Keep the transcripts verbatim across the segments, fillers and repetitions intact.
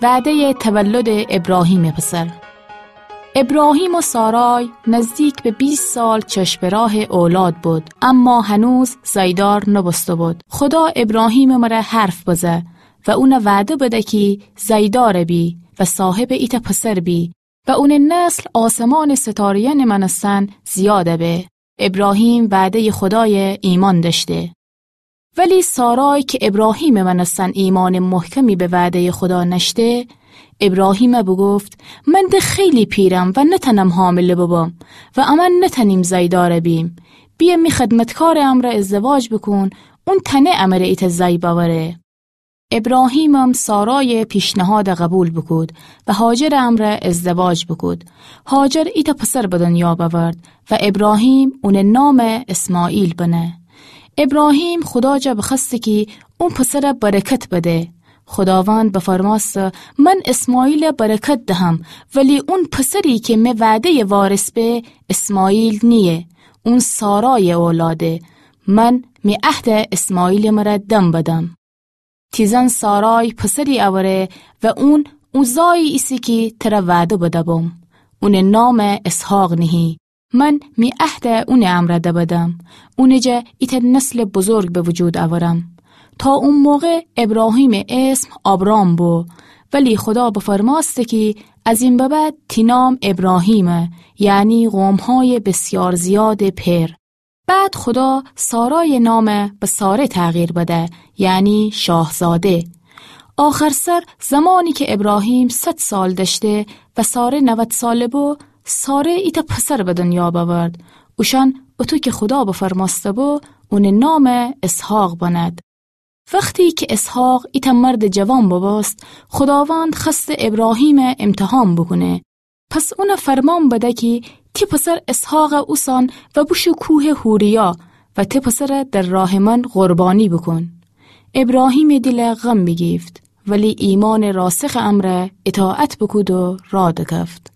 وعدهٔ تولد ابراهیم پسر. ابراهیم و سارای نزدیک به بیست سال چشم به راه اولاد بود، اما هنوز زیدار نبوسته بود. خدا ابراهیم مره حرف بزه و اونه وعده بده کی زیدار بی و صاحب ایتأ پسر بی و اونٚ نسل آسمانٚ ستاره‌یأنٚ مأنستن زیاد به. ابراهیم وعدهٔ خدای ایمأن دأشته. ولی سارای که ابراهیمٚ مأنستن ایمأنٚ محکمی به وعدهٔ خدا نأشته، ابراهیم بوگفت: من ده خیلی پیرم و نتأنم حامله ببم و امأن نتأنیم زیدار بیم. بیه می خدمتکارٚ امرأ ازدواج بوکون، اون تأنه امره ایتأ زی بأوره. ابراهیمم سارای پیشنهاد قبول بوکود و هاجرٚ امرأ ازدواج بوکود. هاجر ایتأ پسر به دنیا بأورد و ابراهیم اونٚ نام اسماعیل بنه. ابراهیم خدا جا بخوأسته کی اون پسر برکت بده. خداوند بفرمأسته: من اسماعیل برکت دهم، ولی اون پسری که می وعدهٔ وارث به، اسماعیل نییه، اون سارای اولاده. من می عهد اسماعیل مره دم بدم. تی زن سارای پسری اوره و اون او زایی ایسه کی تره وعده بدبم. اونٚ نام اسحاق نهی. من می عهد اونٚ امرأ دبدم. اونٚ جا ایتأ نسل بزرگ به وجود اورم. تا او موقع ابراهیمٚ اسم آبرام بو، ولی خدا بفرمأسته کی از این به بعد تی نام ابراهیمه، یعنی قوم‌های بسیار زیادٚ پئر. بعد خدا سارای نام به ساره تغییر بده، یعنی شاهزاده. آخر سر زمانی که ابراهیم صد سال دأشته و ساره نود ساله بو، ساره ایتأ پسر به دنیا بأورد. اوشأن اطو که خدا بفرمأسته بو، اونٚ نام اسحاق بند. وختی که اسحاق ایتأ مردٚ جوان ببوست، خداوند خوأسته ابراهیم امتحان بوکونه. پس اون فرمان بده کی تی پسر اسحاق اوسان و بوشو کوهٚ حوریا و تی پسر در راهٚ من قربانی بوکون. ابراهیمٚ دیل غم بیگیفت، ولی ایمانٚ راسخٚ امرأ اطاعت بوکود و راه دکفت.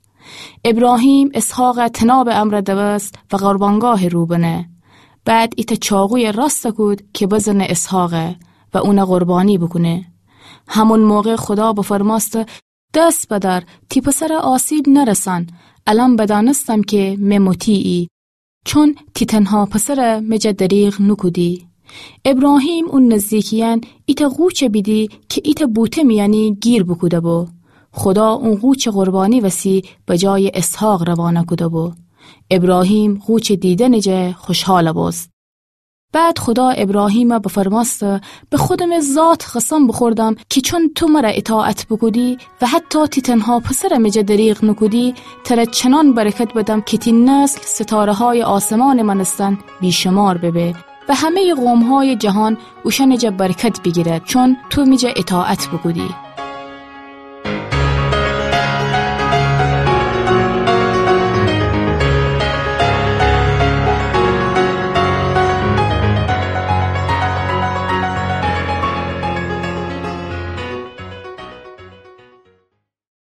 ابراهیم اسحاق طنابٚ امرأ دوست و قربانگاهٚ رو بنه. بعد ایتأ چاقوی راست کود که بزنه اسحاق و اون قربانی بوکونه. همون موقع خدا بفرمأسته: دست بدار، تی پسر آسیب نرسان. الأن بدأنستم که می مطیعی، چون تی تنها پسر می جا دریغ نوکودی. ابراهیم او نزدیکیأن ایتأ قوچ بیدی که ایتأ بوته میأنی گیر بوکوده بو. خدا او قوچ قربانی وسی به جای اسحاق روانه کوده بو. ابراهیم قوچ دیدنٚ جا خوشحال بوست. بعد خدا ابراهیم بفرمأسته: به خودمٚ ذات قسم بوخوردم که چون تو مر اطاعت بوکودی و حتی تی تنها پسر می جا دریغ نوکودی، تر چنان برکت بدم که تی نسل ستاره‌های آسمانٚ مأنستن بی‌شمار ببه و همه‌یٚ قوم‌های جهان اوشأنٚ جا برکت بیگیرد، چون تو می جا اطاعت بوکودی.